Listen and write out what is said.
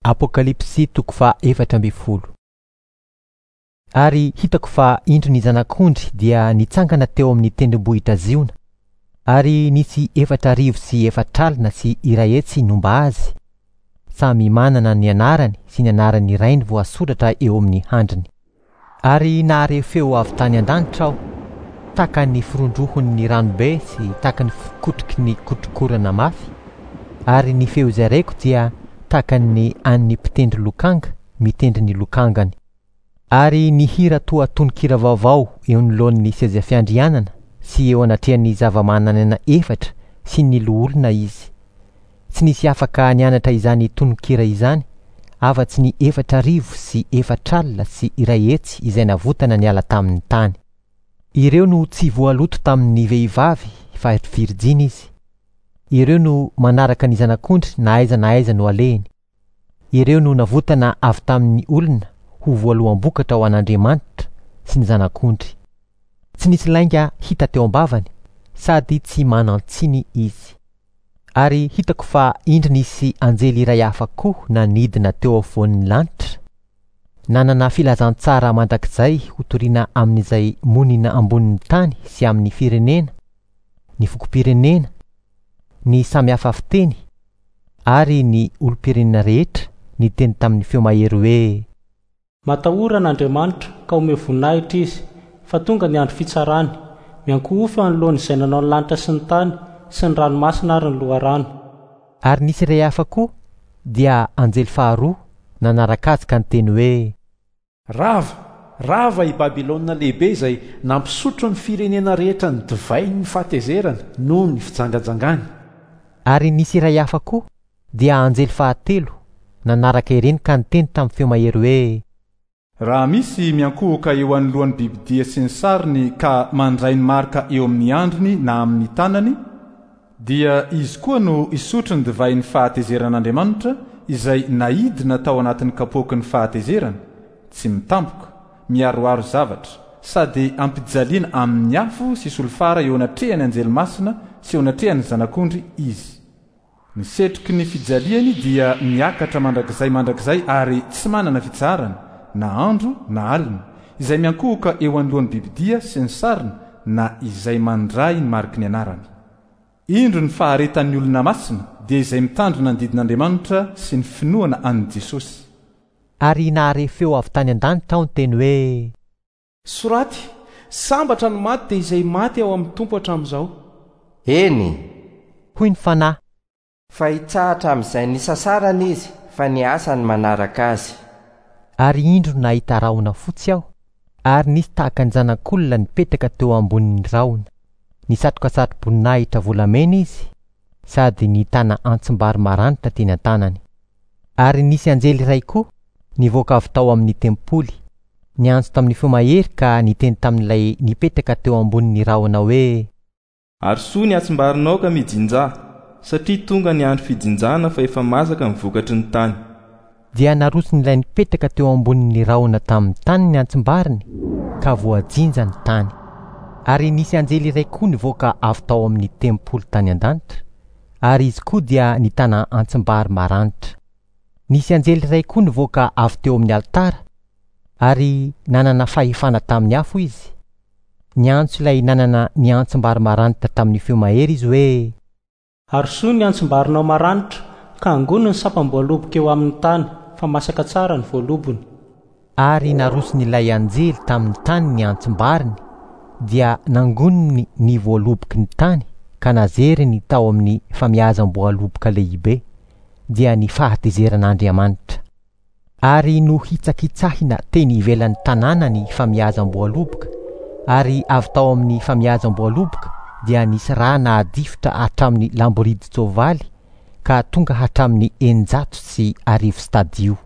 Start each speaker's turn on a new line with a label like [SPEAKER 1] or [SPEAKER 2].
[SPEAKER 1] Apokalypsy toko faha-14. Ary hitako fa indro ny Zanak'ondry dia nitsangana teo amin'ny tendrombohitra Ziona, ary nisy 440 nomba azy, samy manana ny anarany sy ny anaran'ny rainy voasoratra eo amin'ny handriny. Ary nahare feo avy tany an-danitra aho, tahaka ny firondrohon'ny ranobe sy tahaka ny fikotroky ny kotrokorana mafy, ary ny feo izay reko dia tahaka ny an'ny mpitendry lokanga mitendry ny lokangany. Ary nihira toa tononkira vaovao eo anoloan'ny seza fiandrianana sy eo anatrehan'ny zava-manan'aina efatra sy ny loholona izy. Tsy nisy afaka nianatra izany tononkira izany afa-tsy ny 140 401 izay navotana niala tamin'ny tany. Ireo no tsy voaloto tamin'ny vehivavy fa virjiny izy. Ireo no manaraka ny Zanak'ondry na aiza na aiza no alehiny. Ireo no navotana avy tamin'ny olona ho voaloham-bokatra ho an'Andriamanitra sy ny Zanak'ondry. Tsy nisy lainga hita teo am-bavany sady tsy manan-tsiny izy. Ary hitako fa indro nisy anjely iray hafa koa nanidina teo afovoan'ny lanitra, nanana filazantsara mandrakizay hotorina amin'izay monina ambonin'ny tany sy amin'ny firenena, ny fokom-pirenena, ny samy hafa fiteny ary ny olom-pirenena rehetra, niteny tamin'ny feo mahery hoe.
[SPEAKER 2] Matahora an'Andriamanitra, ka omeo voninahitra Izy, fa tonga ny andro fitsarany. Miankohofa eo anoloan'izay nanao ny lanitra sy ny tany sy ny ranomasina ary ny loharano.
[SPEAKER 1] Ary nisy iray hafa koa, dia anjely faharoa, nanaraka azy ka niteny hoe.
[SPEAKER 3] Rava! Rava i Babylona Lehibe izay nampisotro ny firenena rehetra ny divain'ny fahatezerany noho ny fijangajangany.
[SPEAKER 1] Ary nisy iray hafa koa, dia anjely fahatelo, nanaraka ireny ka niteny tamin'ny feo mahery hoe.
[SPEAKER 4] Raha misy miankohoka eo anoloan'ny bibidia sy ny sariny ka mandray ny marika eo amin'ny handriny na amin'ny tanany, dia izy koa no hisotro ny divain'ny fahatezeran'Andriamanitra izay naidina tao anatin'ny kapoaky ny fahatezerany, tsy mitampoka, miharoharo zavatra, sady ampijaliana amin'ny afo sy solifara eo anatrehan'ny anjely masina sy eo anatrehan'ny Zanak'ondry izy. Ny setroky ny fijaliany dia miakatra mandrakizay mandrakizay ary tsy manana fitsaharana, na andro na alina, izay miankohoka eo anoloan'ny bibidia sy ny sariny na izay mandray ny mariky ny anarany. Indro ny faharetan'ny olona masina, dia izay mitandrina ny didin'Andriamanitra sy ny finoana an'i Jesosy.
[SPEAKER 1] Ary nahare feo avy tany an-danitra aho niteny hoe.
[SPEAKER 5] Soraty, Sambatra ny maty dia izay maty ao amin'ny Tompo hatramin'izao.
[SPEAKER 6] Eny!
[SPEAKER 1] Hoy ny Fanahy.
[SPEAKER 6] Fa hitsahatra amin'izay nisasarany izy, fa ny asany manaraka azy.
[SPEAKER 1] Ary indro nahita rahona fotsy aho, ary nisy tahaka ny zanak'olona nipetraka teo ambonin'ny rahona. Nisatroka satroboninahitra volamena izy, sady nitana antsim-bary maranitra teny an-tanany. Ary nisy anjely iray koa nivoaka avy tao amin'ny tempoly, niantso tamin'ny feo mahery ka niteny tamin'ilay nipetraka teo ambonin'ny rahona hoe.
[SPEAKER 7] Arosoy ny antsim-barinao ka mijinjà, satria tonga ny andro fijinjana fa efa masaka ny vokatry ny tany.
[SPEAKER 1] Dia naroson'ilay nipetraka teo ambonin'ny rahona tamin'ny tany ny antsim-bariny, ka voajinja ny tany. Ary nisy anjely iray koa nivoaka avy tao amin'ny tempoly tany an-danitra, ary izy koa dia nitana antsim-bary maranitra. Nisy anjely iray koa nivoaka avy teo amin'ny alitara, ary nanana fahefana tamin'ny afo izy. Niantso ilay nanana ny antsim-bary maranitra tamin'ny feo mahery izy hoe.
[SPEAKER 2] Arosoy ny antsim-barinao maranitra, ka angony ny sampam-boaloboka eo amin'ny tany, fa masaka tsara ny voalobony.
[SPEAKER 1] Ary naroson'ilay anjely tamin'ny tany ny antsim-bariny, dia nangoniny ny voaloboky ny tany ka nazeriny tao amin'ny famiazam-boaloboka lehibe, dia ny fahatezeran'Andriamanitra. Ary nohitsakitsahina teny ivelan'ny tanàna ny famiazam-boaloboka, ary avy tao amin'ny famiazam-boaloboka dia nisy rà nahadifotra hatramin'ny lamboridin-tsoavaly ka tonga hatramin'ny 1600 stadio.